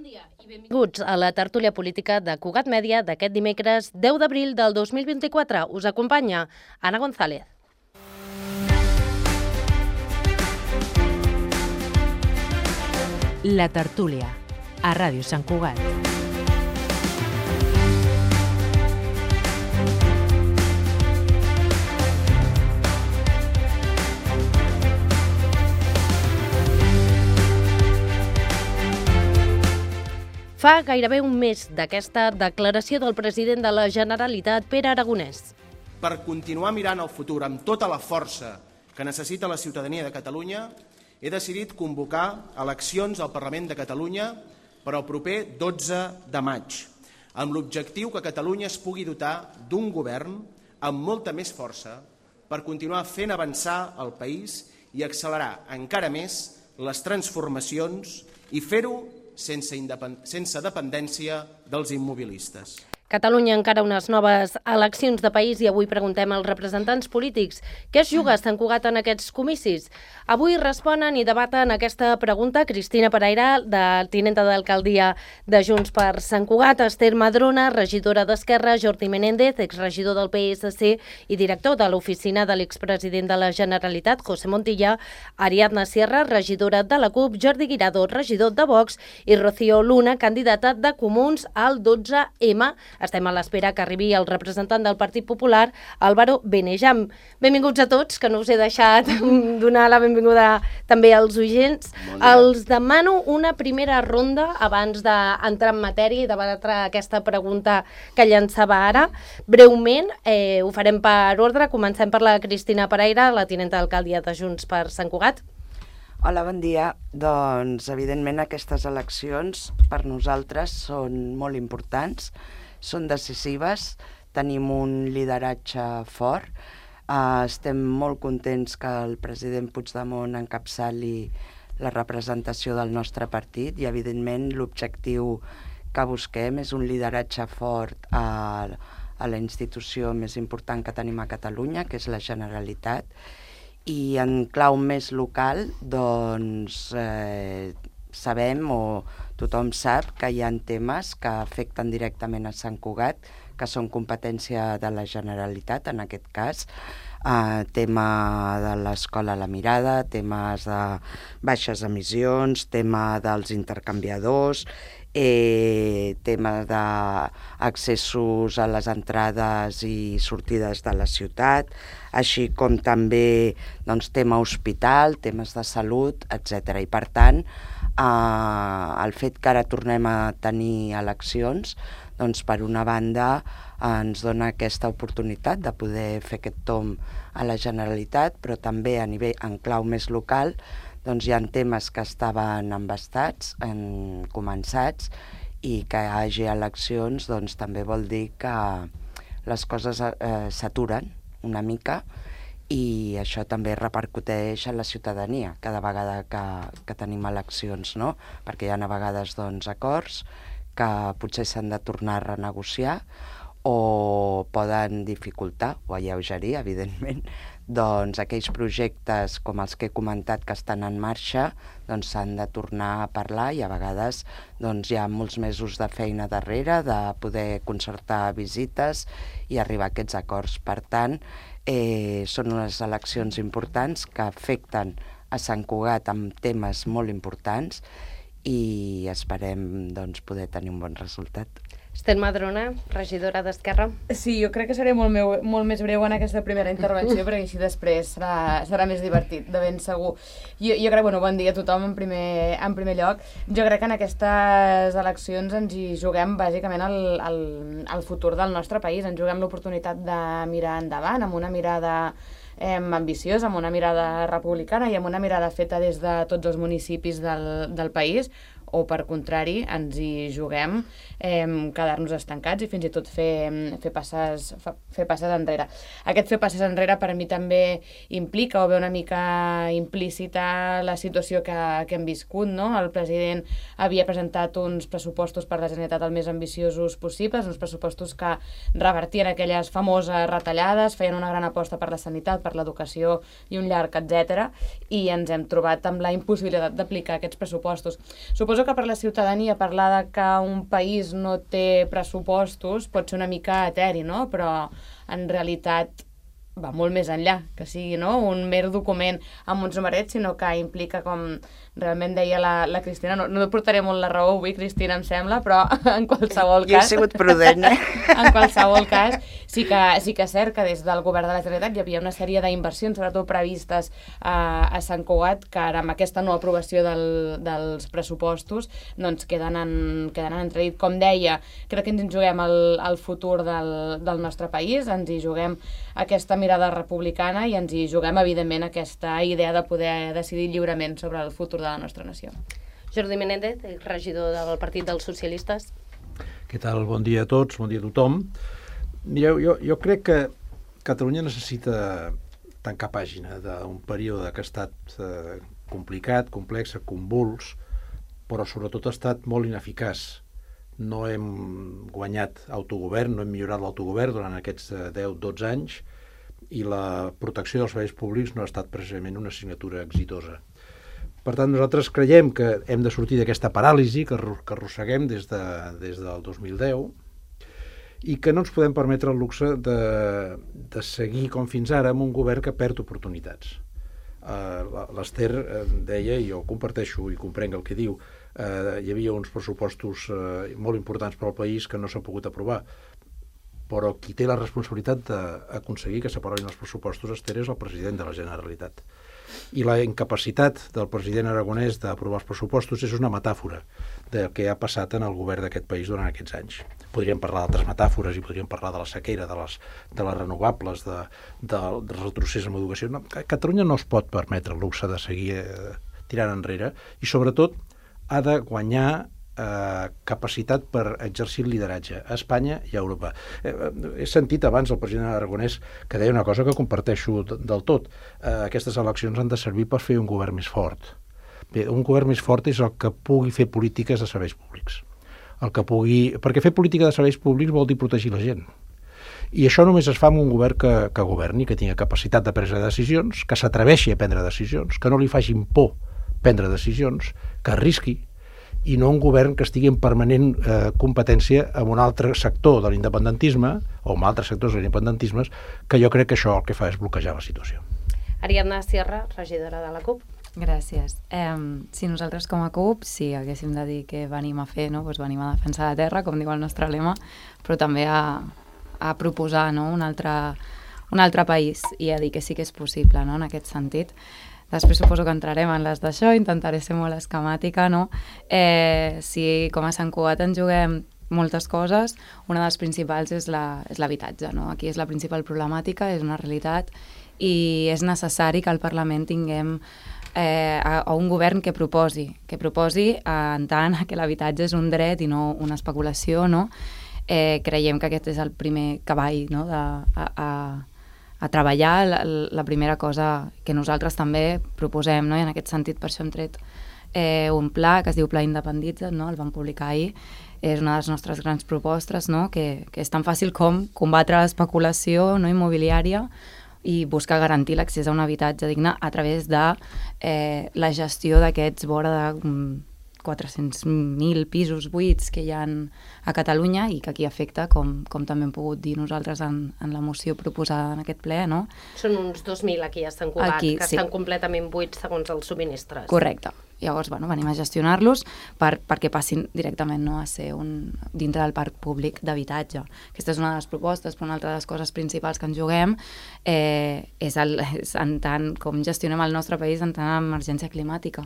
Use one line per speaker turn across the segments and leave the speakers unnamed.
dia i benvinguts a la tertúlia política de Cugat Mèdia d'aquest dimecres 10 d'abril del 2024. Us acompanya Anna González.
La tertúlia, a Ràdio Sant Cugat.
Fa gairebé un mes d'aquesta declaració del president de la Generalitat, Pere Aragonès.
Per continuar mirant al futur amb tota la força que necessita la ciutadania de Catalunya, he decidit convocar eleccions al Parlament de Catalunya per al proper 12 de maig, amb l'objectiu que Catalunya es pugui dotar d'un govern amb molta més força per continuar fent avançar el país i accelerar encara més les transformacions i fer-ho sense dependència dels immobilistes.
Catalunya encara unes noves eleccions de país i avui preguntem als representants polítics què es juga a Sant Cugat en aquests comicis. Avui responen i debaten aquesta pregunta Cristina Pereira, tinenta d'alcaldia de Junts per Sant Cugat, Esther Madrona, regidora d'Esquerra, Jordi Menéndez, exregidor del PSC i director de l'oficina de l'expresident de la Generalitat, José Montilla, Ariadna Sierra, regidora de la CUP, Jordi Guirado, regidor de Vox i Rocío Luna, candidata de Comuns al 12M. Estem a l'espera que arribi el representant del Partit Popular, Álvaro Benejam. Benvinguts a tots, que no us he deixat donar la benvinguda també als oients. Els demano una primera ronda abans d'entrar en matèria i debatre aquesta pregunta que llançava ara. Breument, ho farem per ordre. Comencem per la Cristina Pereira, la tinenta d'alcaldia de Junts per Sant Cugat.
Hola, bon dia. Doncs, evidentment, aquestes eleccions per nosaltres són molt importants, són decisives, tenim un lideratge fort, estem molt contents que el president Puigdemont encapçali la representació del nostre partit i, evidentment, l'objectiu que busquem és un lideratge fort a la institució més important que tenim a Catalunya, que és la Generalitat, i en clau més local, doncs, sabem o tothom sap que hi ha temes que afecten directament a Sant Cugat, que són competència de la Generalitat, en aquest cas, tema de l'escola La Mirada, temes de baixes emissions, tema dels intercanviadors, tema d'accessos a les entrades i sortides de la ciutat, així com també doncs, tema hospital, temes de salut, etc. I per tant, el fet que ara tornem a tenir eleccions, doncs per una banda ens dona aquesta oportunitat de poder fer aquest tomb a la Generalitat, però també a nivell en clau més local, doncs hi ha temes que estaven embastats, començats, i que hi hagi eleccions doncs també vol dir que les coses s'aturen una mica, i això també repercuteix a la ciutadania cada vegada que tenim eleccions, no? Perquè hi ha a vegades doncs, acords que potser s'han de tornar a renegociar o poden dificultar o alleugerir, evidentment, doncs aquells projectes com els que he comentat que estan en marxa doncs s'han de tornar a parlar i a vegades doncs, hi ha molts mesos de feina darrere de poder concertar visites i arribar a aquests acords. Per tant, són unes eleccions importants que afecten a Sant Cugat amb temes molt importants i esperem doncs, poder tenir un bon resultat.
Esther Madrona, regidora d'Esquerra.
Sí, jo crec que seré molt més breu en aquesta primera intervenció perquè així després serà més divertit, de ben segur. Jo crec, bon dia a tothom en primer lloc. Jo crec que en aquestes eleccions ens hi juguem bàsicament el futur del nostre país, ens juguem l'oportunitat de mirar endavant amb una mirada ambiciosa, amb una mirada republicana i amb una mirada feta des de tots els municipis del país, o per contrari ens hi juguem quedar-nos estancats i fins i tot fer passes enrere. Aquest fer passes enrere per mi també implica o ve una mica implícita la situació que hem viscut, no? El president havia presentat uns pressupostos per la Generalitat el més ambiciosos possibles, uns pressupostos que revertien aquelles famoses retallades, feien una gran aposta per la sanitat, per l'educació i un llarg, etc. I ens hem trobat amb la impossibilitat d'aplicar aquests pressupostos. Suposo suposo que per la ciutadania parlar que un país no té pressupostos pot ser una mica eteri, no? Però en realitat va molt més enllà, que sigui un mer document amb uns numerets, sinó que implica, com realment deia la Cristina, no et portaré molt la raó avui, Cristina, em sembla, però en qualsevol cas...
Jo he sigut prudent,
En qualsevol cas, sí que és cert que des del govern de la Generalitat hi havia una sèrie d'inversions, sobretot previstes a Sant Cugat, que ara amb aquesta no aprovació dels pressupostos doncs queden en entredit. Com deia, crec que ens en juguem el futur del nostre país, ens hi juguem aquesta mirada republicana i ens hi juguem, evidentment, aquesta idea de poder decidir lliurement sobre el futur de la nostra nació.
Jordi Menéndez, regidor del Partit dels Socialistes.
Què tal? Bon dia a tots, bon dia a tothom. Mireu, jo crec que Catalunya necessita tancar pàgina d'un període que ha estat complicat, complex, convuls, però sobretot ha estat molt ineficaç. No hem guanyat autogovern, no hem millorat l'autogovern durant aquests 10-12 anys i la protecció dels serveis públics no ha estat precisament una assignatura exitosa. Per tant, nosaltres creiem que hem de sortir d'aquesta paràlisi que arrosseguem des del 2010 i que no ens podem permetre el luxe de seguir com fins ara amb un govern que perd oportunitats. L'Ester deia, i jo comparteixo i comprenc el que diu, hi havia uns pressupostos molt importants per al país que no s'han pogut aprovar, però qui té la responsabilitat d'aconseguir que s'aprovin els pressupostos, Ester, és el president de la Generalitat. I la incapacitat del president aragonès d'aprovar els pressupostos és una metàfora del que ha passat en el govern d'aquest país durant aquests anys. Podríem parlar d'altres metàfores i podríem parlar de la sequera, de les renovables, del retrocés en educació. No, Catalunya no es pot permetre el luxe de seguir tirant enrere i sobretot ha de guanyar capacitat per exercir el lideratge a Espanya i a Europa. He sentit abans el president aragonès que deia una cosa que comparteixo del tot. Aquestes eleccions han de servir per fer un govern més fort. Bé, un govern més fort és el que pugui fer polítiques de serveis públics. Perquè fer política de serveis públics vol dir protegir la gent. I això només es fa amb un govern que governi, que tingui capacitat de prendre decisions, que s'atreveixi a prendre decisions, que no li facin por prendre decisions, que arrisqui, i no un govern que estigui en permanent competència amb un altre sector de l'independentisme o amb altres sectors de l'independentisme, que jo crec que això el que fa és bloquejar la situació.
Ariadna Sierra, regidora de la CUP.
Gràcies. Si nosaltres com a CUP, si haguéssim de dir què venim a fer, doncs venim a defensar la terra, com diu el nostre lema, però també a proposar un altre país i a dir que sí que és possible en aquest sentit. Després suposo que entrarem en les d'això, intentaré ser molt esquemàtica, no? Si com a Sant Cugat ens juguem moltes coses, una de les principals és l'habitatge, no? Aquí és la principal problemàtica, és una realitat i és necessari que al Parlament tinguem a un govern que proposi en tant que l'habitatge és un dret i no una especulació, no? Creiem que aquest és el primer cavall, no? A treballar, la primera cosa que nosaltres també proposem, no? I en aquest sentit per això hem tret un pla que es diu Pla Independitza't, no? El vam publicar ahir, és una de les nostres grans propostes, no? Que és tan fàcil com combatre l'especulació immobiliària i buscar garantir l'accés a un habitatge digne a través de la gestió d'aquests vora de 400.000 pisos buits que hi ha a Catalunya i que aquí afecta, com també hem pogut dir nosaltres en la moció proposada en aquest ple, no?
Són uns 2.000 aquí a Sant Cugat, que estan completament buits segons els subministres.
Correcte. Llavors, venim a gestionar-los perquè passin directament a ser dintre del parc públic d'habitatge. Aquesta és una de les propostes, però una altra de les coses principals que ens juguem és en tant com gestionem el nostre país en tant emergència climàtica.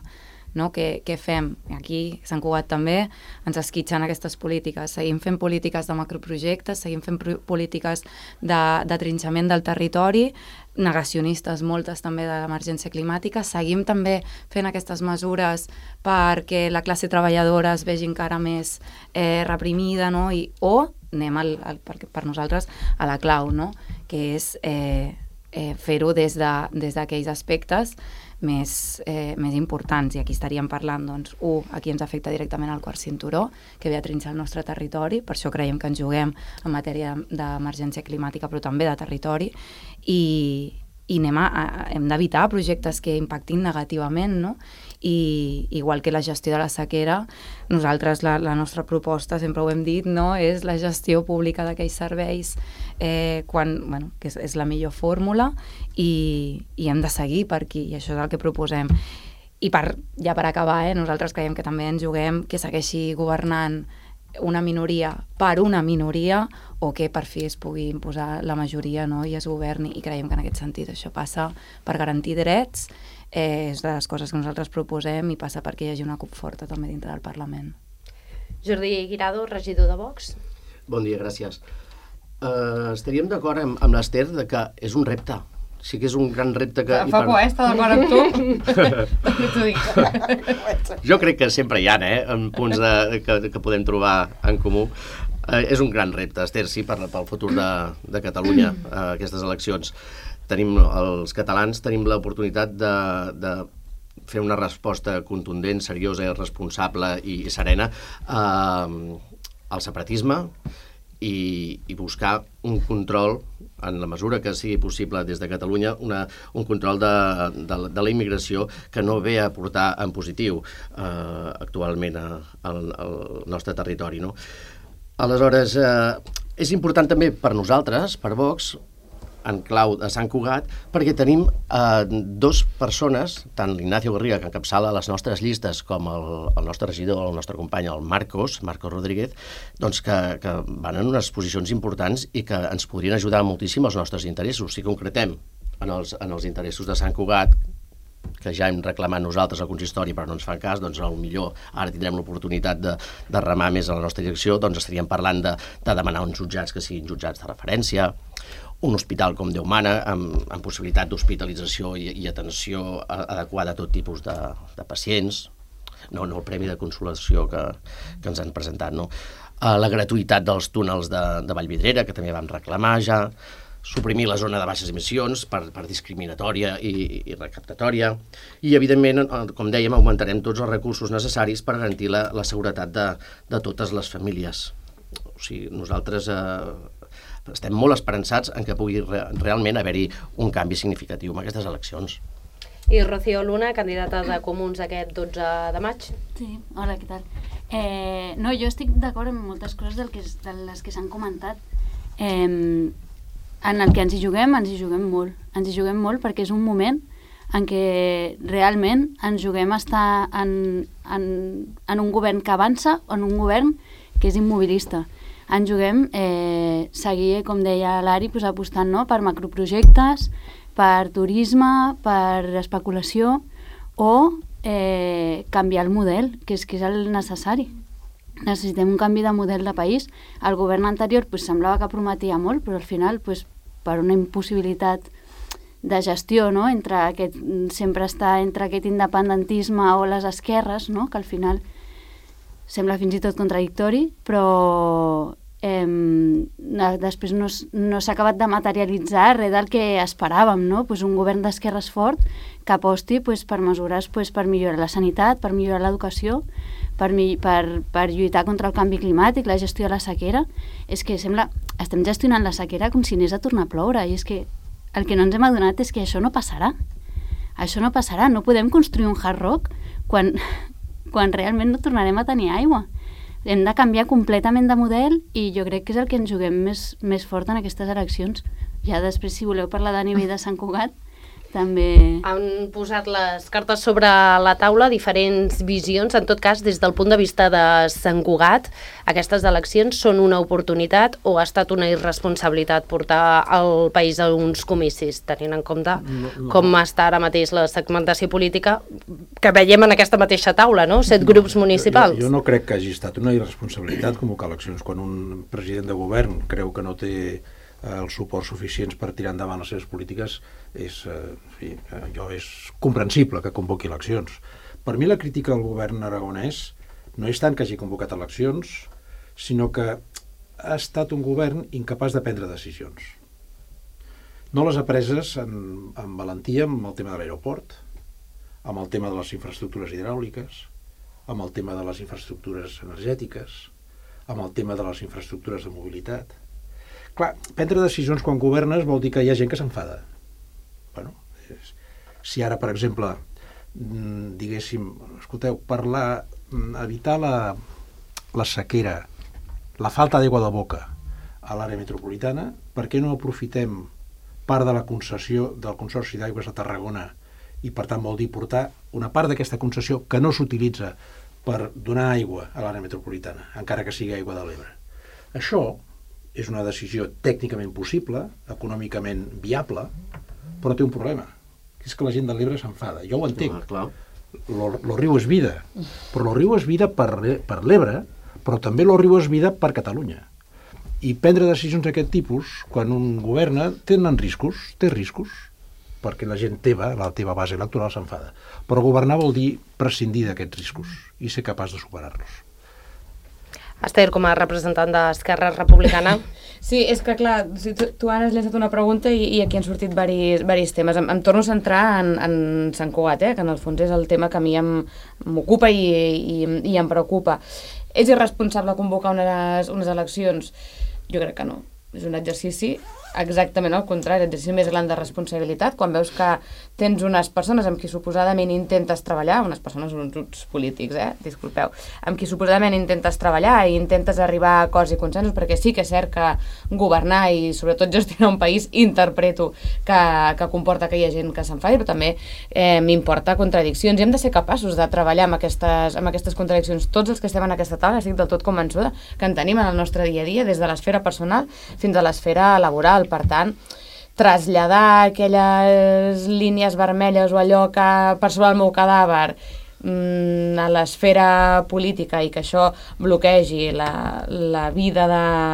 No? Què fem? Aquí, Sant Cugat també, ens esquitxen aquestes polítiques. Seguim fent polítiques de macroprojectes, seguim fent polítiques de trinxament del territori, negacionistes moltes també de l'emergència climàtica, seguim també fent aquestes mesures perquè la classe treballadora es vegi encara més reprimida, no? O anem per nosaltres a la clau, no? Que és fer-ho des d'aquells aspectes més importants, i aquí estaríem parlant, doncs, aquí ens afecta directament el quart cinturó, que ve a trinxar el nostre territori, per això creiem que ens juguem en matèria d'emergència climàtica, però també de territori, i i hem d'evitar projectes que impactin negativament, no? I igual que la gestió de la sequera, nosaltres la nostra proposta, sempre ho hem dit, no? És la gestió pública d'aquells serveis que és la millor fórmula i hem de seguir per aquí, i això és el que proposem. I ja per acabar, nosaltres creiem que també ens juguem que segueixi governant una minoria per una minoria o que per fi es pugui imposar la majoria, no? I es governi, i creiem que en aquest sentit això passa per garantir drets, és de les coses que nosaltres proposem, i passa perquè hi hagi una CUP forta també dintre del Parlament.
Jordi Guirado, regidor de Vox.
Bon dia, gràcies. Estaríem d'acord amb l'Ester de que és un repte. Sí que és un gran repte que...
Fa por, està d'acord amb tu? T'ho dic.
Jo crec que sempre hi ha, punts que podem trobar en comú. És un gran repte, Ester, sí, pel futur de Catalunya, aquestes eleccions. Els catalans tenim l'oportunitat de fer una resposta contundent, seriosa, responsable i serena al separatisme i buscar un control, en la mesura que sigui possible des de Catalunya, un control de la immigració que no ve a portar en positiu actualment al nostre territori, no? Aleshores, és important també per nosaltres, per Vox, en clau de Sant Cugat, perquè tenim dues persones, tant l'Ignacio Garriga, que encapçala les nostres llistes, com el nostre regidor, el nostre company, el Marcos Rodríguez, doncs que van en unes posicions importants i que ens podrien ajudar moltíssim als nostres interessos. Si concretem en els interessos de Sant Cugat, que ja hem reclamat nosaltres al consistori però no ens fan cas, doncs potser ara tindrem l'oportunitat de remar més a la nostra direcció, doncs estaríem parlant de demanar uns jutjats que siguin jutjats de referència, un hospital com Déu mana, amb possibilitat d'hospitalització i atenció adequada a tot tipus de pacients, no el premi de consolació que ens han presentat, no? La gratuïtat dels túnels de Vallvidrera, que també vam reclamar ja, suprimir la zona de baixes emissions per discriminatòria i recaptatòria, i evidentment, com dèiem, augmentarem tots els recursos necessaris per garantir la seguretat de totes les famílies. O sigui, nosaltres estem molt esperançats en que pugui realment haver-hi un canvi significatiu en aquestes eleccions.
I Rocío Luna, candidata de Comuns aquest 12 de maig.
Sí, hola, què tal? No, jo estic d'acord amb moltes coses de les que s'han comentat. En el que ens hi juguem molt. Ens hi juguem molt perquè és un moment en què realment ens juguem a estar en un govern que avança o en un govern que és immobilista. Ens juguem seguir, com deia l'Ari, apostant per macroprojectes, per turisme, per especulació o canviar el model, que és el necessari. Necessitem un canvi de model de país. El govern anterior semblava que prometia molt, però al final, per una impossibilitat de gestió, sempre està entre aquest independentisme o les esquerres, que al final sembla fins i tot contradictori, però després no s'ha acabat de materialitzar res del que esperàvem, un govern d'esquerres fort que aposti per mesures per millorar la sanitat, per millorar l'educació, per lluitar contra el canvi climàtic, la gestió de la sequera. És que estem gestionant la sequera com si anés a tornar a ploure, i és que el que no ens hem adonat és que això no passarà. Això no passarà, no podem construir un hard rock quan realment no tornarem a tenir aigua. Hem de canviar completament de model i jo crec que és el que ens juguem més fort en aquestes eleccions. Ja després, si voleu parlar de nivell de Sant Cugat, també...
Han posat les cartes sobre la taula, diferents visions. En tot cas, des del punt de vista de Sant Cugat, aquestes eleccions són una oportunitat o ha estat una irresponsabilitat portar el país a uns comicis, tenint en compte com està ara mateix la segmentació política que veiem en aquesta mateixa taula, no? 7 grups municipals.
Jo no crec que hagi estat una irresponsabilitat convocar eleccions quan un president de govern creu que no té els suports suficients per tirar endavant les seves polítiques. És comprensible que convoqui eleccions. Per mi la crítica al govern aragonès no és tant que hagi convocat eleccions, sinó que ha estat un govern incapaç de prendre decisions. No les ha preses amb valentia amb el tema de l'aeroport, amb el tema de les infraestructures hidràuliques, amb el tema de les infraestructures energètiques, amb el tema de les infraestructures de mobilitat. Clar, prendre decisions quan governes vol dir que hi ha gent que s'enfada. Bueno, si ara, per exemple, diguéssim, escolteu, per evitar la sequera, la falta d'aigua de boca a l'àrea metropolitana, per què no aprofitem part de la concessió del Consorci d'Aigües de Tarragona i, per tant, vol dir portar una part d'aquesta concessió que no s'utilitza per donar aigua a l'àrea metropolitana, encara que sigui aigua de l'Ebre. Això és una decisió tècnicament possible, econòmicament viable, però té un problema, que és que la gent de l'Ebre s'enfada. Jo ho entenc. Lo riu és vida, però lo riu és vida per l'Ebre, però també lo riu és vida per Catalunya. I prendre decisions d'aquest tipus, quan un governa, té riscos, perquè la gent teva, la teva base electoral, s'enfada. Però governar vol dir prescindir d'aquests riscos i ser capaç de superar-los.
Esther, com a representant d'Esquerra Republicana...
Sí, és que clar, tu ara has llançat una pregunta i aquí han sortit varis temes. Em torno a centrar en Sant Cugat, que en el fons és el tema que a mi m'ocupa i em preocupa. És irresponsable convocar unes eleccions? Jo crec que no. És un exercici exactament al contrari, l'exercici més gran de responsabilitat, quan veus que tens unes persones amb qui suposadament intentes treballar, unes persones, uns grups polítics, disculpeu, amb qui suposadament intentes treballar i intentes arribar a acords i consensos, perquè sí que és cert que governar i sobretot gestionar un país interpreto que comporta que hi ha gent que s'enfadi, però també m'importa contradiccions i hem de ser capaços de treballar amb aquestes contradiccions. Tots els que estem en aquesta taula estic del tot convençuda que en tenim en el nostre dia a dia, des de l'esfera personal fins a l'esfera laboral. Per tant, traslladar aquelles línies vermelles o allò que per sobre el meu cadàver a l'esfera política i que això bloquegi la vida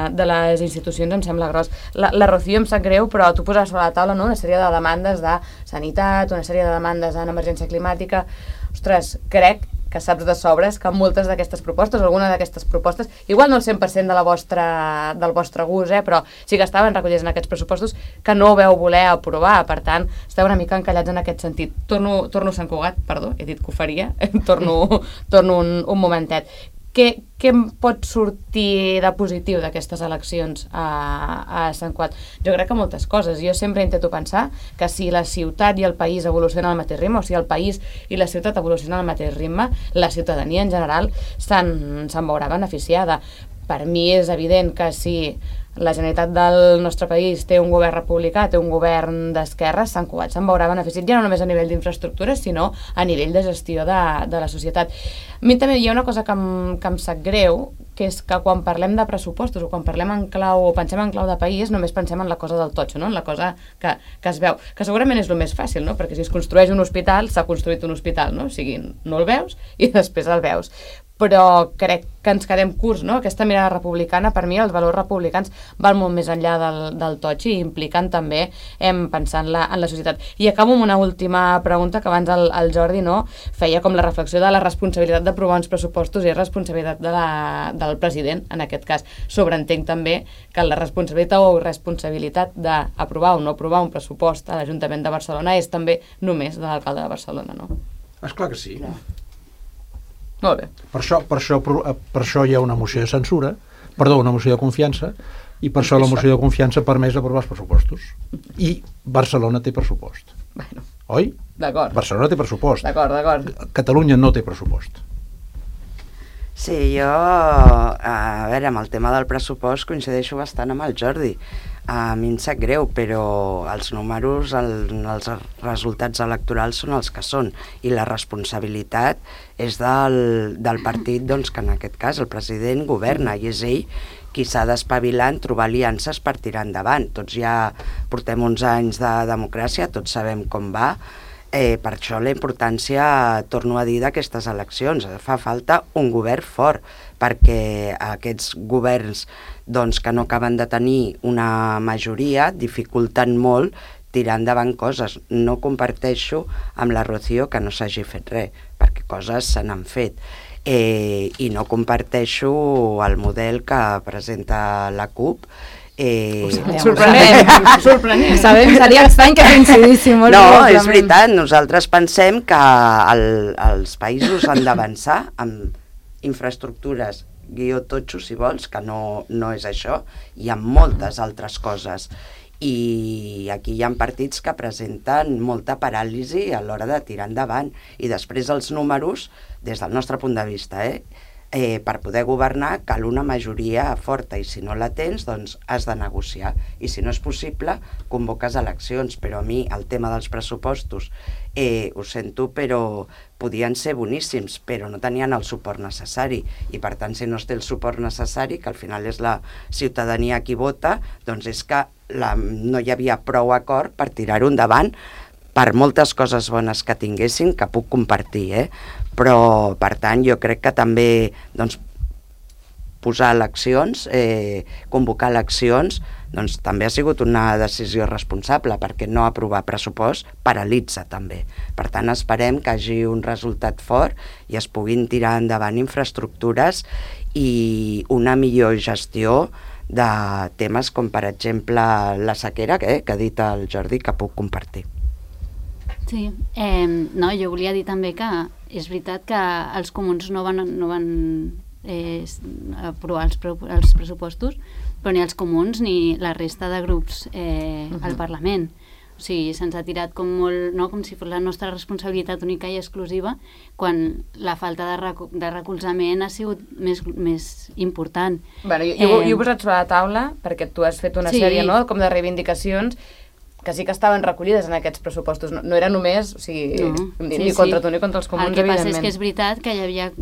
de les institucions em sembla gros. La Rocío em sap greu, però tu poses sobre la taula una sèrie de demandes de sanitat, una sèrie de demandes en emergència climàtica. Ostres, crec que saps de sobres que moltes d'aquestes propostes, alguna d'aquestes propostes, igual no el 100% del vostre gust, però sí que estaven recollits en aquests pressupostos que no veu voler aprovar. Per tant, esteu una mica encallats en aquest sentit. Torno a Sant Cugat, perdó, he dit que ho faria, torno un momentet. Què em pot sortir de positiu d'aquestes eleccions a Sant Cugat? Jo crec que moltes coses. Jo sempre intento pensar que si la ciutat i el país evolucionen al mateix ritme, o si el país i la ciutat evolucionen al mateix ritme, la ciutadania en general se'n veurà beneficiada. Per mi és evident que si la Generalitat del nostre país té un govern republicà, té un govern d'esquerres, Sant Cugat se'n veurà beneficiat ja no només a nivell d'infraestructures, sinó a nivell de gestió de la societat. A mi també hi ha una cosa que em sap greu, que és que quan parlem de pressupostos o quan parlem en clau o pensem en clau de país, només pensem en la cosa del totxo, no? En la cosa que es veu, que segurament és el més fàcil, no? Perquè si es construeix un hospital, s'ha construït un hospital, no? O sigui, no el veus i després el veus. Però crec que ens quedem curts, no? Aquesta mirada republicana, per mi, els valors republicans van molt més enllà del totxi i impliquen també pensar en la societat. I acabo amb una última pregunta que abans el Jordi feia com la reflexió de la responsabilitat d'aprovar uns pressupostos i responsabilitat del president, en aquest cas. Sobreentenc també que la responsabilitat o irresponsabilitat d'aprovar o no aprovar un pressupost a l'Ajuntament de Barcelona és també només de l'alcalde de Barcelona, no?
Esclar que sí.
Molt bé.
Per això hi ha una moció de censura, una moció de confiança, i per això la moció de confiança permet aprovar els pressupostos. I Barcelona té pressupost.
Bueno.
Oi?
D'acord.
Barcelona té pressupost.
D'acord.
Catalunya no té pressupost.
Sí, jo, a veure, amb el tema del pressupost coincideixo bastant amb el Jordi. A mi em sap greu, però els números, els resultats electorals són els que són, i la responsabilitat és del partit, doncs, que en aquest cas el president governa, i és ell qui s'ha d'espavilar en trobar aliances per tirar endavant. Tots ja portem uns anys de democràcia, tots sabem com va. Per això la importància, torno a dir, d'aquestes eleccions. Fa falta un govern fort, perquè aquests governs que no acaben de tenir una majoria dificulten molt tirar endavant coses. No comparteixo amb la Rocío que no s'hagi fet res, perquè coses se n'han fet. I no comparteixo el model que presenta la CUP.
Sorprenent.
Sabem, seria estrany que coincidíssim.
No, és veritat, nosaltres pensem que els països han d'avançar amb infraestructures guió totxo, si vols, que no és això, i amb moltes altres coses. i aquí hi ha partits que presenten molta paràlisi a l'hora de tirar endavant, i després els números, des del nostre punt de vista, per poder governar cal una majoria forta, i si no la tens, doncs has de negociar, i si no és possible convoques eleccions. Però a mi el tema dels pressupostos, ho sento, però podien ser boníssims, però no tenien el suport necessari, i per tant, si no es té el suport necessari, que al final és la ciutadania qui vota, doncs és que no hi havia prou acord per tirar-ho endavant, per moltes coses bones que tinguessin, que puc compartir, però, per tant, jo crec que també doncs, posar eleccions, convocar eleccions, doncs també ha sigut una decisió responsable, perquè no aprovar pressupost paralitza també. Per tant, esperem que hi hagi un resultat fort i es puguin tirar endavant infraestructures i una millor gestió de temes com, per exemple, la sequera, que ha dit el Jordi, que puc compartir.
Sí, no, jo volia dir també que és veritat que els comuns no van aprovar els pressupostos, però ni els comuns ni la resta de grups al Parlament. O sigui, se'ns ha tirat com molt, no? Com si fos la nostra responsabilitat única i exclusiva, quan la falta de recolzament ha sigut més important.
Bueno, jo ho he posat sobre la taula, perquè tu has fet una sèrie, no?, com de reivindicacions que sí que estaven recollides en aquests pressupostos. No era només, o sigui, ni contra tu ni contra els comuns, evidentment.
El que passa és que és veritat que hi havia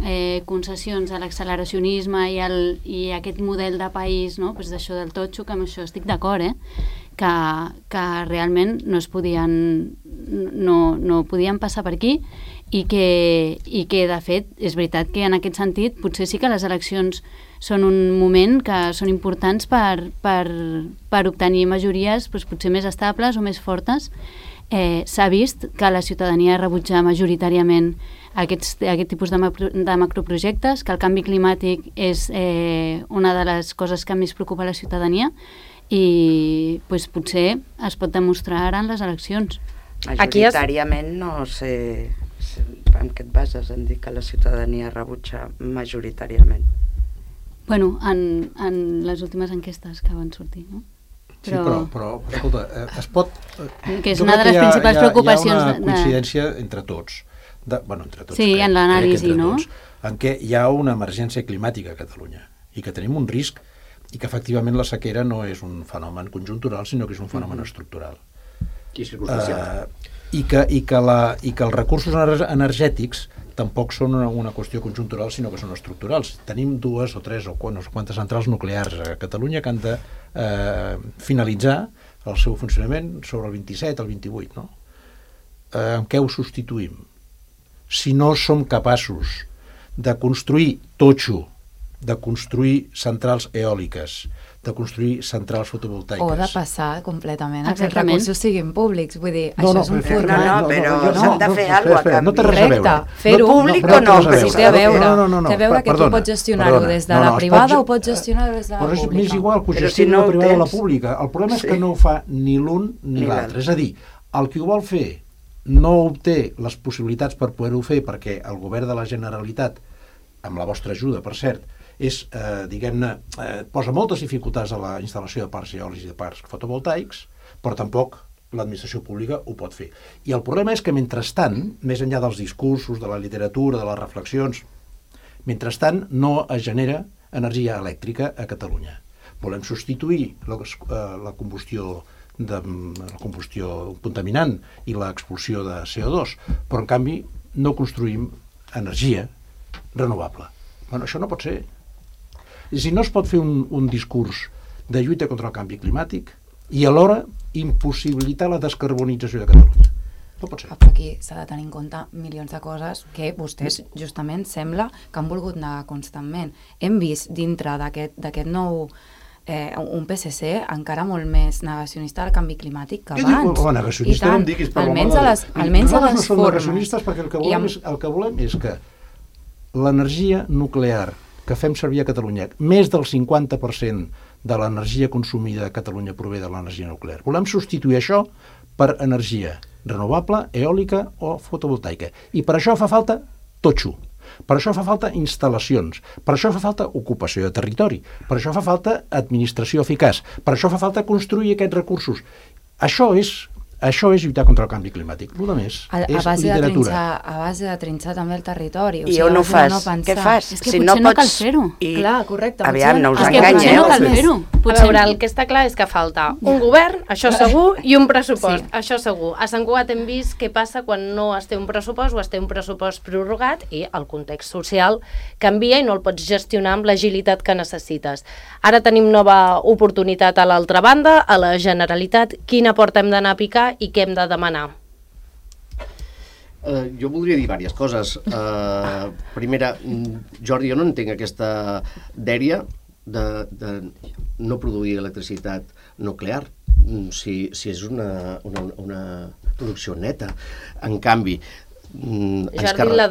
concessions a l'acceleracionisme i aquest model de país, no?, pues d'això del totxo, que amb això estic d'acord, que realment no podien passar per aquí, i que, de fet, és veritat que en aquest sentit potser sí que les eleccions són un moment que són importants per obtenir majories potser més estables o més fortes. S'ha vist que la ciutadania rebutja majoritàriament aquest tipus de macroprojectes, que el canvi climàtic és una de les coses que més preocupa la ciutadania, i potser es pot demostrar ara en les eleccions.
Majoritàriament no sé en què et bases en dir que la ciutadania rebutja majoritàriament.
Bueno, en les últimes enquestes que van sortir, no?
Sí, però escolta, es pot...
Que és una de les principals preocupacions...
Hi ha una coincidència entre tots. Entre tots.
Sí, en l'anàlisi, no?
En què hi ha una emergència climàtica a Catalunya i que tenim un risc i que efectivament la sequera no és un fenomen conjuntural, sinó que és un fenomen estructural.
I circumstancial.
I que els recursos energètics tampoc són una qüestió conjuntural, sinó que són estructurals. Tenim 2 o 3 o no sé quantes centrals nuclears a Catalunya que han de finalitzar el seu funcionament sobre el 27, el 28, no? En què ho substituïm? Si no som capaços de construir totxo, de construir centrals eòliques, de construir centrals fotovoltaiques.
O de passar completament a que els recursos siguin públics. Vull dir, això és un format...
No, però s'han de fer alguna cosa a canvi.
No té res a veure.
Fer-ho
públic o no?
Sí, té a veure. Té a veure que tu pots gestionar-ho des de la privada o pots gestionar-ho des de la pública.
Però m'és igual que ho gestioni la privada o la pública. El problema és que no ho fa ni l'un ni l'altre. És a dir, el qui ho vol fer no obté les possibilitats per poder-ho fer perquè el govern de la Generalitat, amb la vostra ajuda, per cert, posa moltes dificultats a la instal·lació de parcs eòlics i de parcs fotovoltaics, però tampoc l'administració pública ho pot fer. I el problema és que, mentrestant, més enllà dels discursos, de la literatura, de les reflexions, mentrestant no es genera energia elèctrica a Catalunya. Volem substituir la combustió contaminant i l'expulsió de CO2, però en canvi no construïm energia renovable. Bueno, això no pot ser. Si no es pot fer un discurs de lluita contra el canvi climàtic i alhora impossibilitar la descarbonització de Catalunya. No pot ser.
Però aquí s'ha de tenir en compte milions de coses que vostès justament sembla que han volgut negar constantment. Hem vist dintre d'aquest nou un PSC encara molt més negacionista del canvi climàtic que abans.
Negacionista no em diguis, però
almenys a les formes.
Nosaltres no som negacionistes perquè el que volem és que l'energia nuclear que fem servir a Catalunya, més del 50% de l'energia consumida a Catalunya prové de l'energia nuclear. Volem substituir això per energia renovable, eòlica o fotovoltaica. I per això fa falta totxo. Per això fa falta instal·lacions, per això fa falta ocupació de territori, per això fa falta administració eficaç, per això fa falta construir aquests recursos. Això és lluitar contra el canvi climàtic. El més és literatura.
A base de trinxar també el territori.
I on ho fas? Què fas?
És que potser no cal fer-ho.
Clar, correcte.
Aviam, no us
enganyeu. Potser no cal fer-ho.
A veure, el que està clar és que falta un govern, això segur, i un pressupost, això segur. A Sant Cugat hem vist què passa quan no es té un pressupost o es té un pressupost prorrogat i el context social canvia i no el pots gestionar amb l'agilitat que necessites. Ara tenim nova oportunitat a l'altra banda, a la Generalitat. Quina porta hem d'anar a picar i què hem de demanar?
Jo voldria dir diverses coses. Primera, Jordi, jo no entenc aquesta dèria de no produir electricitat nuclear, si és una producció neta. En canvi,
Jordi, la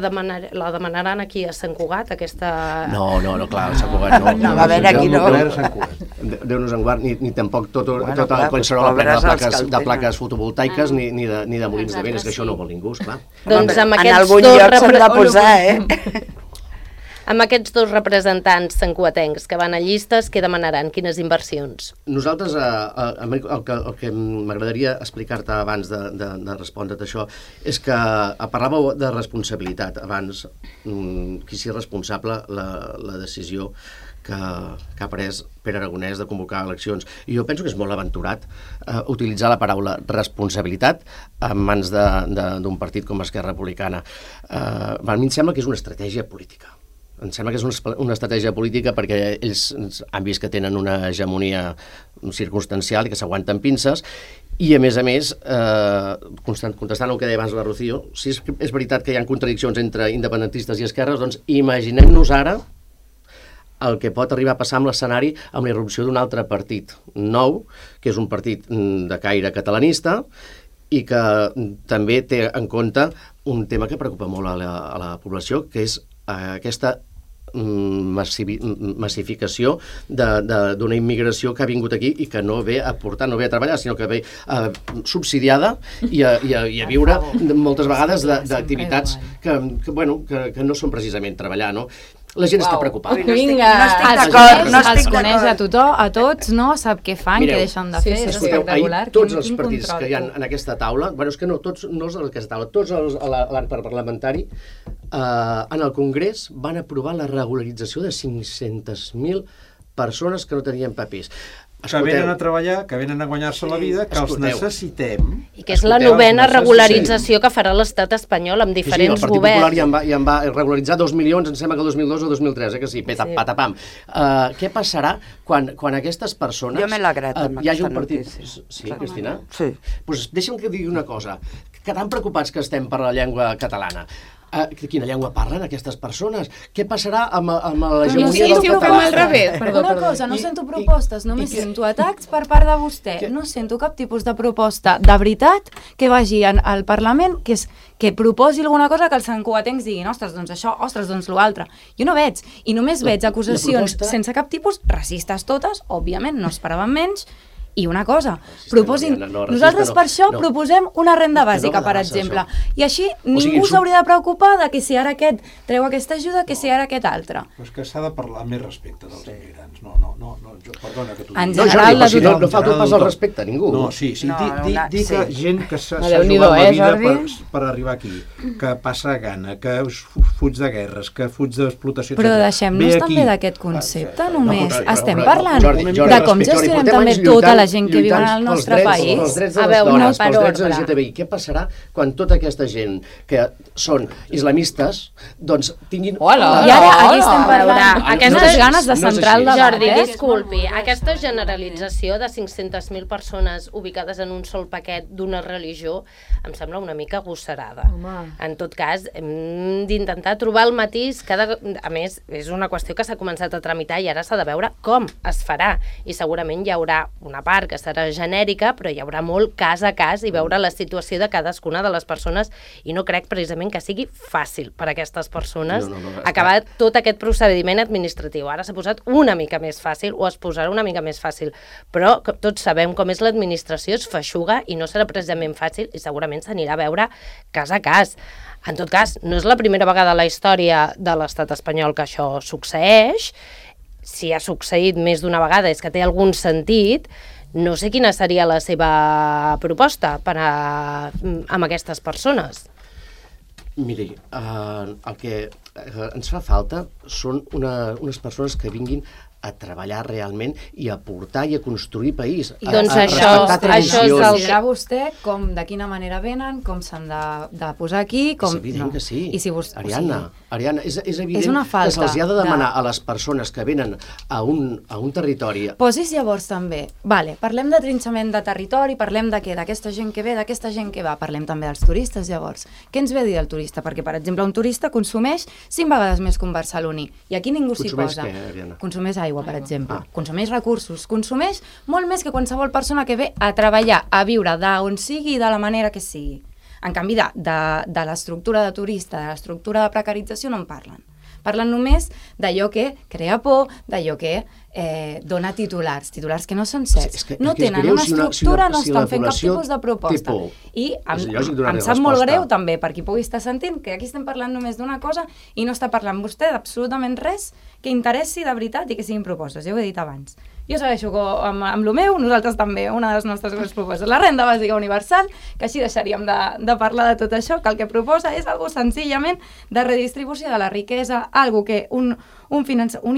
demanaran aquí a Sant Cugat, aquesta...
No, clar, a Sant Cugat no.
No, a veure, aquí no.
Déu-nos en guard, ni tampoc tota qualsevol plena de plaques fotovoltaiques ni de molins de vent, és que això no vol ningú, esclar.
Doncs amb
en algun lloc s'han de posar,
Amb aquests dos representants santcugatencs que van a llistes, què demanaran? Quines inversions?
Nosaltres, el que m'agradaria explicar-te abans de respondre't això, és que parlàveu de responsabilitat abans, qui sigui responsable la decisió que ha pres Pere Aragonès de convocar eleccions. I jo penso que és molt aventurat utilitzar la paraula responsabilitat en mans d'un partit com Esquerra Republicana. A mi em sembla que és una estratègia política. Em sembla que és una estratègia política perquè ells han vist que tenen una hegemonia circumstancial i que s'aguanten pinces i, a més, contestant el que deia abans la Rocío, si és veritat que hi ha contradiccions entre independentistes i esquerres, doncs imaginem-nos ara el que pot arribar a passar amb l'escenari amb la irrupció d'un altre partit nou, que és un partit de caire catalanista i que també té en compte un tema que preocupa molt a la població, que és aquesta massificació d'una immigració que ha vingut aquí i que no ve a portar, no ve a treballar, sinó que ve subsidiada i a viure moltes vegades d'activitats que no són precisament treballar, no? La gent està preocupada.
Vinga, els coneix a tothom, a tots, no? Sap què fan, què deixen de fer, és espectacular.
Tots els partits que hi ha en aquesta taula, és que no, tots no els en aquesta taula, tots l'àmbit parlamentari, en el Congrés van aprovar la regularització de 500.000 persones que no tenien papers.
Que venen a treballar, que venen a guanyar-se la vida, que els necessitem.
I que és la novena regularització que farà l'estat espanyol amb diferents governs.
Sí, el Partit Popular ja en va regularitzar 2 milions, em sembla que el 2002 o 2003, que sí, patapam. Què passarà quan aquestes persones...
Jo me l'ha agradat amb aquesta notícia.
Sí, Cristina?
Sí.
Doncs deixa'm que digui una cosa, que tan preocupats que estem per la llengua catalana. Quina llengua parlen aquestes persones? Què passarà amb l'hegemonia del català?
Una cosa, no sento propostes, només sento atacs per part de vostè. No sento cap tipus de proposta de veritat que vagi al Parlament, que proposi alguna cosa que els santcugatencs diguin, ostres, doncs això, ostres, doncs l'altre. Jo no veig, i només veig acusacions sense cap tipus, racistes totes, òbviament, no esperaven menys, i una cosa, proposin... Nosaltres per això proposem una renda bàsica, per exemple. I així ningú s'hauria de preocupar de que si ara aquest treu aquesta ajuda, que si ara aquest altre.
Però és que s'ha de parlar més respecte dels immigrants. No, perdona que tu...
En general,
no falta pas el respecte a ningú.
No, sí, dir que gent que s'ha jugat la vida per arribar aquí, que passa gana, que fuig de guerres, que fuig d'explotació...
Però deixem-nos també d'aquest concepte, només. Estem parlant de com gestionem també tota la gent que viu en el nostre país.
Pels drets de les dones, pels drets LGTBI. Què passarà quan tota aquesta gent que són islamistes, doncs tinguin...
I ara aquí estem parlant aquestes ganes de centrar el debat.
Jordi, disculpi, aquesta generalització de 500.000 persones ubicades en un sol paquet d'una religió em sembla una mica agosarada. En tot cas, hem d'intentar trobar el matís. A més, és una qüestió que s'ha començat a tramitar i ara s'ha de veure com es farà. I segurament hi haurà una part que serà genèrica, però hi haurà molt cas a cas i veure la situació de cadascuna de les persones, i no crec precisament que sigui fàcil per a aquestes persones acabar tot aquest procediment administratiu. Ara s'ha posat una mica més fàcil, o es posarà una mica més fàcil, però tots sabem com és l'administració, es feixuga i no serà precisament fàcil, i segurament s'anirà a veure cas a cas. En tot cas, no és la primera vegada a la història de l'estat espanyol que això succeeix. Si ha succeït més d'una vegada és que té algun sentit. No sé quina seria la seva proposta amb aquestes persones.
Miri, el que ens fa falta són unes persones que vinguin a treballar realment i a portar i a construir país.
Doncs això és el
considerar vostè de quina manera venen, com s'han de posar aquí...
És evident que sí. Ariadna, és evident que se'ls ha de demanar a les persones que venen a un territori...
Posis llavors també. Vale, parlem de trinxament de territori, parlem de què? D'aquesta gent que ve, d'aquesta gent que va. Parlem també dels turistes, llavors. Què ens ve a dir el turista? Perquè, per exemple, un turista consumeix 5 vegades més que un barceloní. I aquí ningú s'hi posa.
Consumeix què, Ariadna?
Consumeix aigua, per exemple. Consumeix recursos. Consumeix molt més que qualsevol persona que ve a treballar, a viure d'on sigui i de la manera que sigui. En canvi, de l'estructura de turista, de l'estructura de precarització, no en parlen. Parlen només d'allò que crea por, d'allò que dona titulars que no són certs. No tenen una estructura, no estan fent cap tipus de proposta. I em sap molt greu també, per qui pugui estar sentint, que aquí estem parlant només d'una cosa i no està parlant vostè d'absolutament res que interessi de veritat i que siguin propostes. Ja ho he dit abans. Jo segueixo amb el meu, nosaltres també, una de les nostres grans propostes. La renda bàsica universal, que així deixaríem de parlar de tot això, que el que proposa és algo senzillament de redistribució de la riquesa, algo que un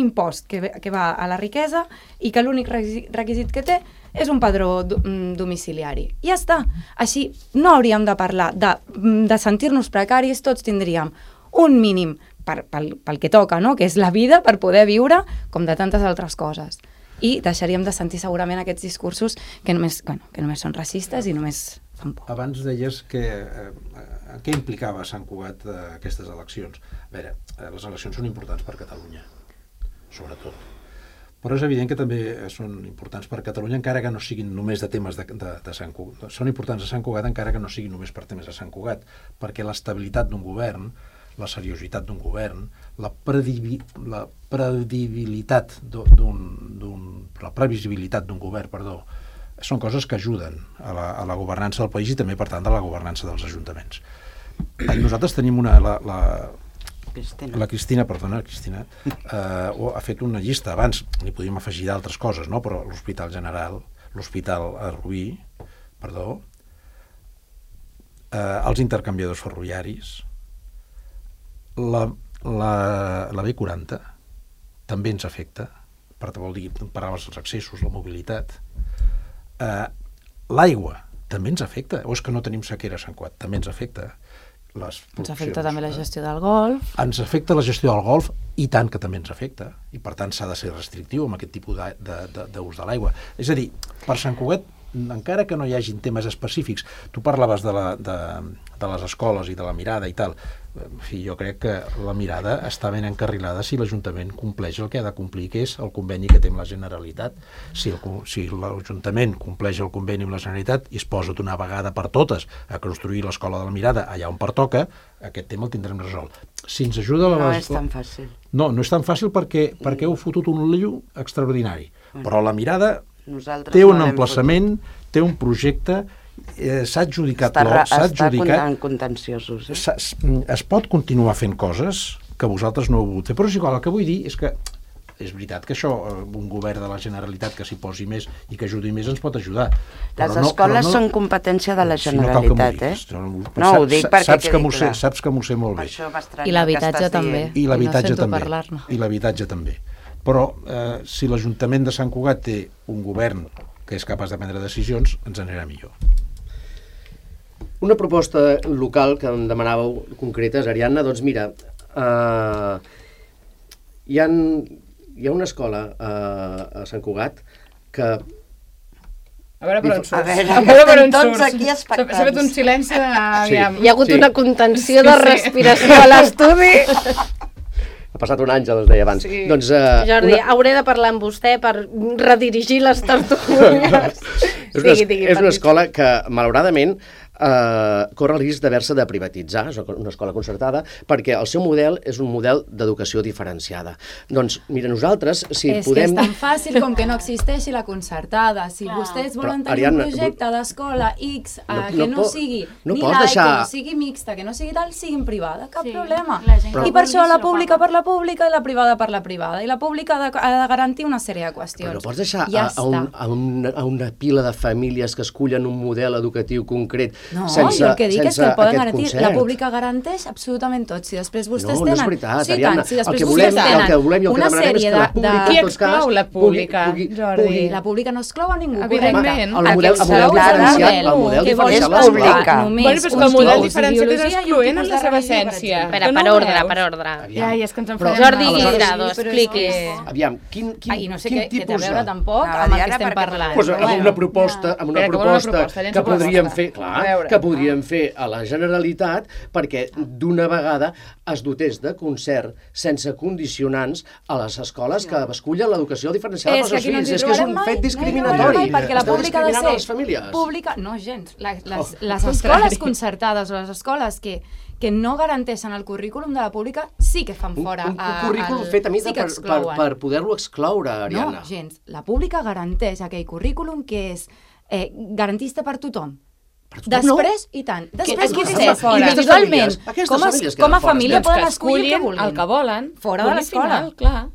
impost que va a la riquesa i que l'únic requisit que té és un padró domiciliari. I ja està. Així no hauríem de parlar de sentir-nos precaris, tots tindríem un mínim pel que toca, no? Que és la vida per poder viure, com de tantes altres coses. I deixaríem de sentir segurament aquests discursos que només són racistes i només fan por.
Abans deies que què implicava Sant Cugat aquestes eleccions. A veure, les eleccions són importants per Catalunya, sobretot. Però és evident que també són importants per Catalunya, encara que no siguin només de temes de Sant Cugat. Són importants a Sant Cugat encara que no siguin només per temes de Sant Cugat, perquè l'estabilitat d'un govern, la seriositat d'un govern, la previsibilitat d'un govern, són coses que ajuden a la governança del país i també, per tant, a la governança dels ajuntaments. Nosaltres tenim la Cristina ha fet una llista, abans n'hi podíem afegir d'altres coses, no? Però l'Hospital General, l'Hospital Rubí, els intercanviadors ferroviaris, la B40 també ens afecta, vol dir, per als accessos, la mobilitat. L'aigua també ens afecta, o és que no tenim sequera a Sant Cugat, també ens afecta.
Ens afecta també la gestió del golf.
Ens afecta la gestió del golf, i tant que també ens afecta, i per tant s'ha de ser restrictiu amb aquest tipus d'ús de l'aigua. És a dir, per Sant Cugat, encara que no hi hagin temes específics, tu parlaves de les escoles i de la mirada i tal, en fi, jo crec que la mirada està ben encarrilada si l'Ajuntament compleix el que ha de complir, que és el conveni que té amb la Generalitat. Si l'Ajuntament compleix el conveni amb la Generalitat i es posa d'una vegada per totes a construir l'escola de la mirada allà on pertoca, aquest tema el tindrem resolt. Si ens ajuda...
No és tan fàcil.
No és tan fàcil perquè heu fotut un lío extraordinari. Però la mirada té un emplaçament, té un projecte, s'ha adjudicat l'obra,
està en contenciosos.
Es pot continuar fent coses que vosaltres no heu volgut fer, però és igual. El que vull dir és que és veritat que això, un govern de la Generalitat que s'hi posi més i que ajudi més ens pot ajudar.
Les escoles són competència de la Generalitat, No ho dic perquè quedi clar.
Saps que m'ho sé molt bé.
I l'habitatge també.
I l'habitatge també. Però si l'Ajuntament de Sant Cugat té un govern que és capaç de prendre decisions, ens anirà millor.
Una proposta local que em demanàveu concretes, Ariadna, doncs mira, hi ha una escola a Sant Cugat que...
A veure per on surts.
A veure, tots aquí expectants.
S'ha fet un silenci de...
Hi ha hagut una contenció de respiració a l'estudi.
Ha passat un àngel, es deia abans. Doncs,
Jordi, hauré de parlar amb vostè per redirigir les tertúlies.
És una escola que, malauradament, corre el risc d'haver-se de privatitzar, és una escola concertada, perquè el seu model és un model d'educació diferenciada. Doncs, mira, nosaltres, si podem...
És que és tan fàcil com que no existeixi la concertada. Si vostès volen tenir un projecte d'escola X que no sigui ni laic, que no sigui mixta, que no sigui tal, siguin privada, cap problema. I per això la pública per la pública i la privada per la privada. I la pública ha de garantir una sèrie de qüestions.
Però no pots deixar a una pila de famílies que escullen un model educatiu concret sense
jo el que dic és que el poden garantir.
concert.
La pública garanteix absolutament tot. Si després vostès tenen...
No, no és veritat, Ariadna. El que volem i el que volem és que la pública,
qui exclou la pública, Jordi?
La pública no exclou a ningú.
Evidentment.
El model diferenciat
és pública.
Bueno, però que el model diferenciat és excloent en la seva essència.
Espera, per ordre.
Ja, és que ens enfadem.
Jordi Guirado, expliqui.
Aviam, quin
no sé
tipus
què té a veure tampoc amb el que estem parlant.
Amb una proposta que podríem fer, clar, que podríem fer a la Generalitat perquè d'una vegada es dotés de concert sense condicionants a les escoles que escullen l'educació diferenciada pels seus fills. És que és un fet discriminatori.
Perquè la pública ha de ser
les famílies.
Pública, no gens. Les escoles concertades o les escoles que no garanteixen el currículum de la pública sí que fan fora.
Un currículum fet a mida per poder-lo excloure, Ariadna.
No, gens. La pública garanteix aquell currículum que és garantista per tothom. Després, i tant. Després vostès, individualment, com a família poden escollir
el que volen.
Fora de l'escola.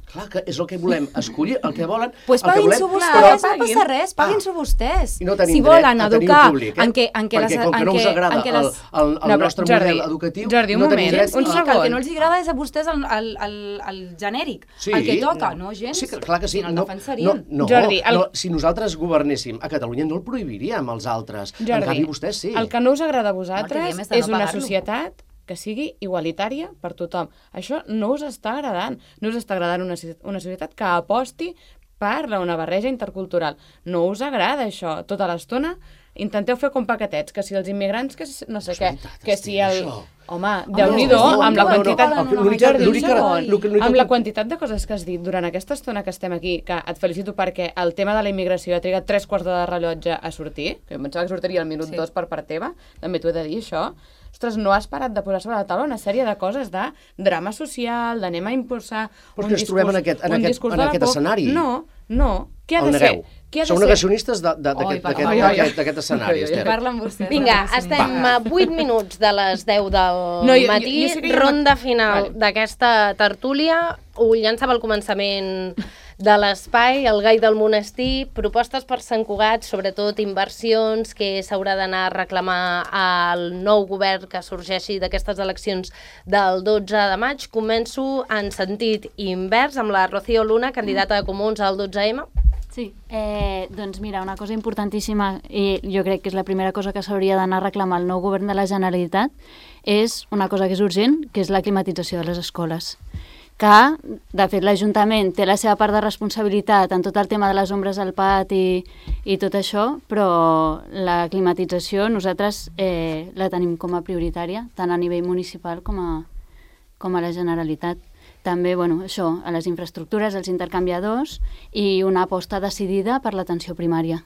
Clar, que és el que volem, escollir el que volen.
Doncs paguin-s'ho vostès, no passa res, paguin-s'ho vostès. Si volen educar en què
perquè com que no us agrada el nostre model educatiu...
Jordi, un moment, un segon.
El que no els agrada és a vostès el genèric, el que toca, no gens?
Sí, clar que sí.
Jordi,
si nosaltres governéssim a Catalunya no el prohibiríem als altres. En canvi, vostès sí.
El que no us agrada a vosaltres és una societat que sigui igualitària per tothom. Això no us està agradant. No us està agradant una societat que aposti per una barreja intercultural. No us agrada això. Tota l'estona intenteu fer com paquetets, que si els immigrants, que no sé què, que si el... Home, Déu-n'hi-do, amb la quantitat... Amb la quantitat de coses que has dit durant aquesta estona que estem aquí, que et felicito perquè el tema de la immigració ha trigat 3 quarts de rellotge a sortir, que em pensava que sortiria al minut 2 per part teva, també t'ho he de dir, això. Ostres, no has parat de posar sobre la taula una sèrie de coses de drama social, d'anem a impulsar un discurs...
Però que ens trobem en aquest escenari.
No. Què ha de ser?
Sou negacionistes d'aquest escenari, Esther.
Parla amb vostè.
Vinga, estem a 8 minuts de les 10 del matí, ronda final d'aquesta tertúlia. Ho llançava al començament de l'espai, el Gai del Monestir, propostes per Sant Cugat, sobretot inversions que s'haurà d'anar a reclamar al nou govern que sorgeixi d'aquestes eleccions del 12 de maig. Començo en sentit invers amb la Rocío Luna, candidata de Comuns al 12M.
Sí, doncs mira, una cosa importantíssima, i jo crec que és la primera cosa que s'hauria d'anar a reclamar al nou govern de la Generalitat, és una cosa que és urgent, que és la climatització de les escoles. Que, de fet, l'Ajuntament té la seva part de responsabilitat en tot el tema de les ombres al pati i tot això, però la climatització nosaltres la tenim com a prioritària, tant a nivell municipal com a la Generalitat. També, això, a les infraestructures, als intercanviadors i una aposta decidida per l'atenció primària.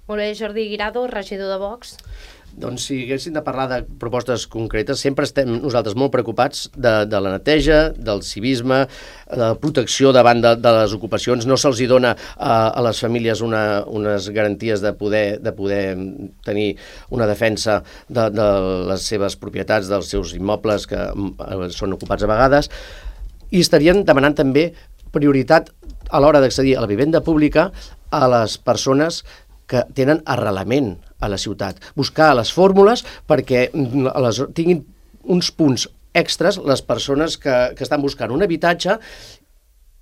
Molt bé, Jordi Guirado, regidor de Vox.
Doncs si haguéssim de parlar de propostes concretes, sempre estem nosaltres molt preocupats de la neteja, del civisme, de la protecció davant de les ocupacions. No se'ls dona a les famílies unes garanties de poder tenir una defensa de les seves propietats, dels seus immobles que són ocupats a vegades. I estarien demanant també prioritat a l'hora d'accedir a la vivenda pública a les persones que tenen arrelament a la ciutat. Buscar les fórmules perquè tinguin uns punts extras les persones que estan buscant un habitatge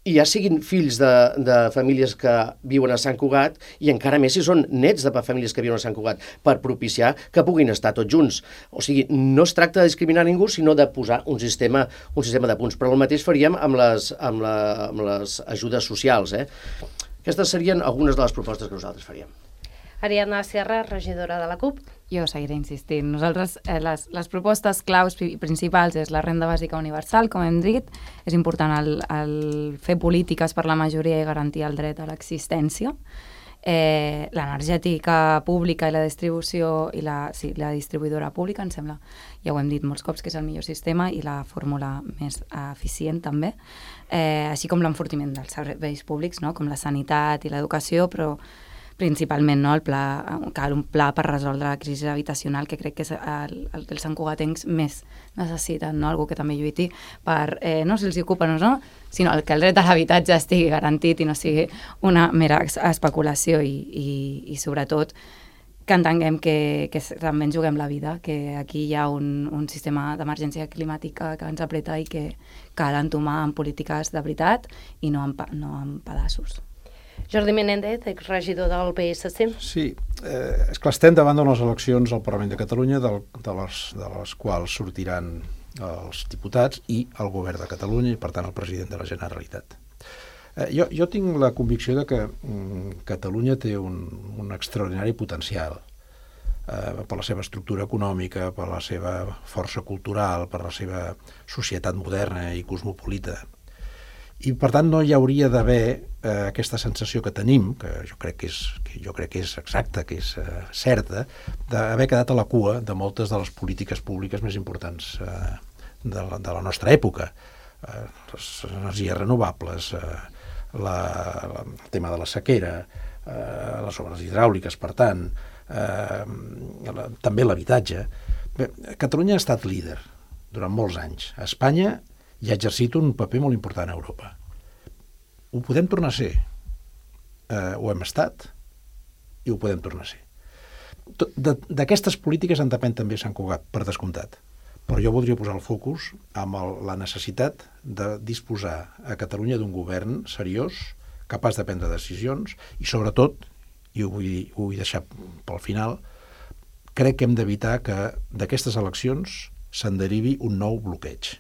i ja siguin fills de famílies que viuen a Sant Cugat i encara més si són nets de famílies que viuen a Sant Cugat, per propiciar que puguin estar tots junts. O sigui, no es tracta de discriminar ningú, sinó de posar un sistema de punts. Però el mateix faríem amb les ajudes socials. Aquestes serien algunes de les propostes que nosaltres faríem.
Ariadna Sierra, regidora de la CUP.
Jo seguiré insistint. Nosaltres, les propostes claus principals és la renda bàsica universal, com hem dit. És important el fer polítiques per la majoria i garantir el dret a l'existència. l'energètica pública i la distribució i la distribuïdora pública, em sembla, ja ho hem dit molts cops, que és el millor sistema i la fórmula més eficient també, així com l'enfortiment dels serveis públics, no? Com la sanitat i l'educació, però principalment, no? Cal un pla per resoldre la crisi habitacional, que crec que és el que els santcugatencs més necessiten, no? Algú que també lluiti per, no si els ocupa o no, sinó que el dret a l'habitatge estigui garantit i no sigui una mera especulació i sobretot que entenguem que també ens juguem la vida, que aquí hi ha un sistema d'emergència climàtica que ens apreta i que cal entomar en polítiques de veritat i no en pedaços.
Jordi Menéndez, exregidor del PSC.
Sí, esclar, estem davant d'unes eleccions al Parlament de Catalunya de les quals sortiran els diputats i el govern de Catalunya i, per tant, el president de la Generalitat. Jo tinc la convicció de que Catalunya té un extraordinari potencial per la seva estructura econòmica, per la seva força cultural, per la seva societat moderna i cosmopolita. I, per tant, no hi hauria d'haver aquesta sensació que tenim, que jo crec que és exacta, que és certa, d'haver quedat a la cua de moltes de les polítiques públiques més importants de la nostra època. Les energies renovables, el tema de la sequera, les obres hidràuliques, per tant, també l'habitatge. Catalunya ha estat líder durant molts anys. A Espanya i ha exercit un paper molt important a Europa. Ho podem tornar a ser. Ho hem estat i ho podem tornar a ser. D'aquestes polítiques en depèn també Sant Cugat, per descomptat. Però jo voldria posar el focus amb la necessitat de disposar a Catalunya d'un govern seriós, capaç de prendre decisions i, sobretot, i ho vull deixar pel final, crec que hem d'evitar que d'aquestes eleccions se'n derivi un nou bloqueig.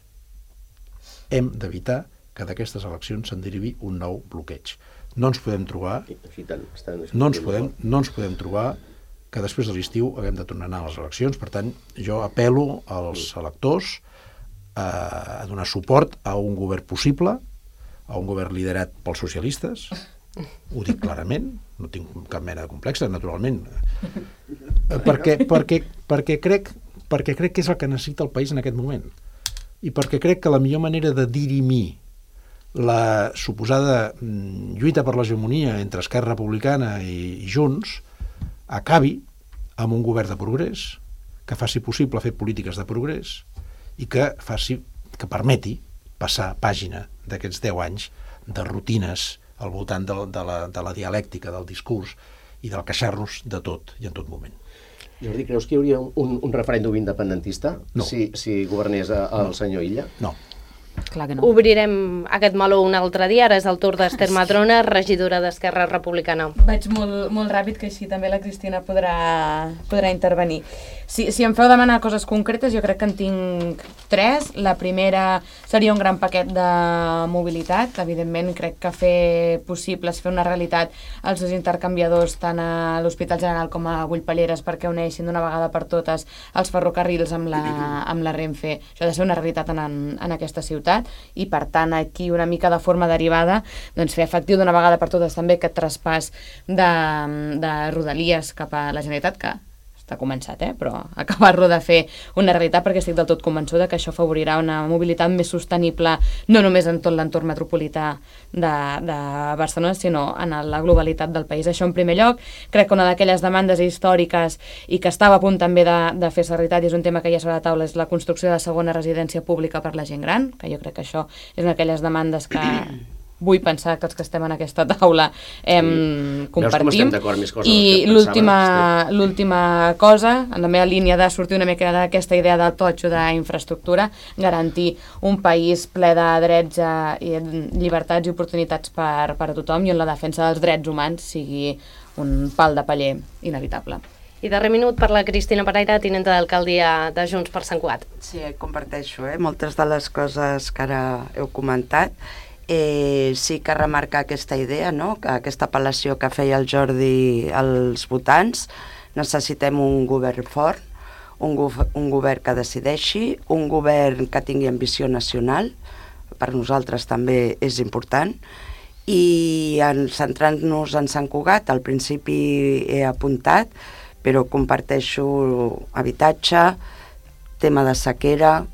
Hem d'evitar que d'aquestes eleccions se'n derivi un nou bloqueig. No ens podem trobar que després de l'estiu haguem de tornar a anar a les eleccions. Per tant, jo apel·lo als electors a donar suport a un govern possible, a un govern liderat pels socialistes. Ho dic clarament, no tinc cap mena de complex, naturalment, perquè crec que és el que necessita el país en aquest moment. I perquè crec que la millor manera de dirimir la suposada lluita per l'hegemonia entre Esquerra Republicana i Junts acabi amb un govern de progrés que faci possible fer polítiques de progrés i que permeti passar pàgina d'aquests 10 anys de rutines al voltant de la dialèctica, del discurs i del queixar-nos de tot i en tot moment.
Jordi, creus que hi hauria un referèndum independentista si governés el senyor Illa?
No.
Clar que no.
Obrirem aquest meló un altre dia. Ara és el torn d'Ester Madrona, regidora d'Esquerra Republicana.
Vaig molt ràpid, que així també la Cristina podrà intervenir. Si em feu demanar coses concretes, jo crec que en tinc 3. La primera seria un gran paquet de mobilitat. Evidentment, crec que fer una realitat els dos intercanviadors tant a l'Hospital General com a Bullpalleres perquè uneixin d'una vegada per totes els ferrocarrils amb la Renfe. Això ha de ser una realitat en aquesta ciutat i, per tant, aquí una mica de forma derivada doncs fer efectiu d'una vegada per totes també aquest traspàs de Rodalies cap a la Generalitat, que està començat, però acabar-lo de fer una realitat, perquè estic del tot convençuda que això afavorirà una mobilitat més sostenible no només en tot l'entorn metropolità de Barcelona, sinó en la globalitat del país. Això en primer lloc. Crec que una d'aquelles demandes històriques i que estava a punt també de fer-se realitat, i és un tema que hi ha sobre la taula, és la construcció de la segona residència pública per la gent gran, que jo crec que això és una d'aquelles demandes que vull pensar que els que estem en aquesta taula compartim. I l'última cosa, en la meva línia de sortir una mica d'aquesta idea del totxo d'infraestructura, garantir un país ple de drets i llibertats i oportunitats per a tothom, i on la defensa dels drets humans sigui un pal de paller inevitable.
I darrer minut per la Cristina Pereira, tinenta d'alcaldia de Junts per Sant Cugat.
Sí, comparteixo moltes de les coses que ara heu comentat. Sí que remarcar aquesta idea, no? Aquesta apel·lació que feia el Jordi als votants. Necessitem un govern fort, un govern que decideixi, un govern que tingui ambició nacional, per nosaltres també és important, I centrant-nos en Sant Cugat, al principi he apuntat, però comparteixo habitatge, tema de sequera,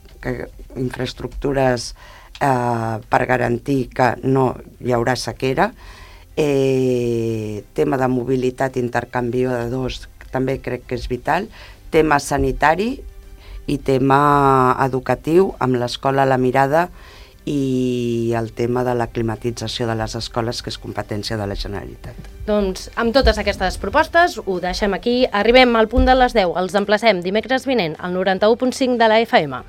infraestructures per garantir que no hi haurà sequera, tema de mobilitat, intercanviadors, també crec que és vital, tema sanitari i tema educatiu, amb l'escola a la mirada i el tema de la climatització de les escoles, que és competència de la Generalitat.
Doncs amb totes aquestes propostes ho deixem aquí. Arribem al punt de les 10. Els emplacem dimecres vinent al 91.5 de la FM.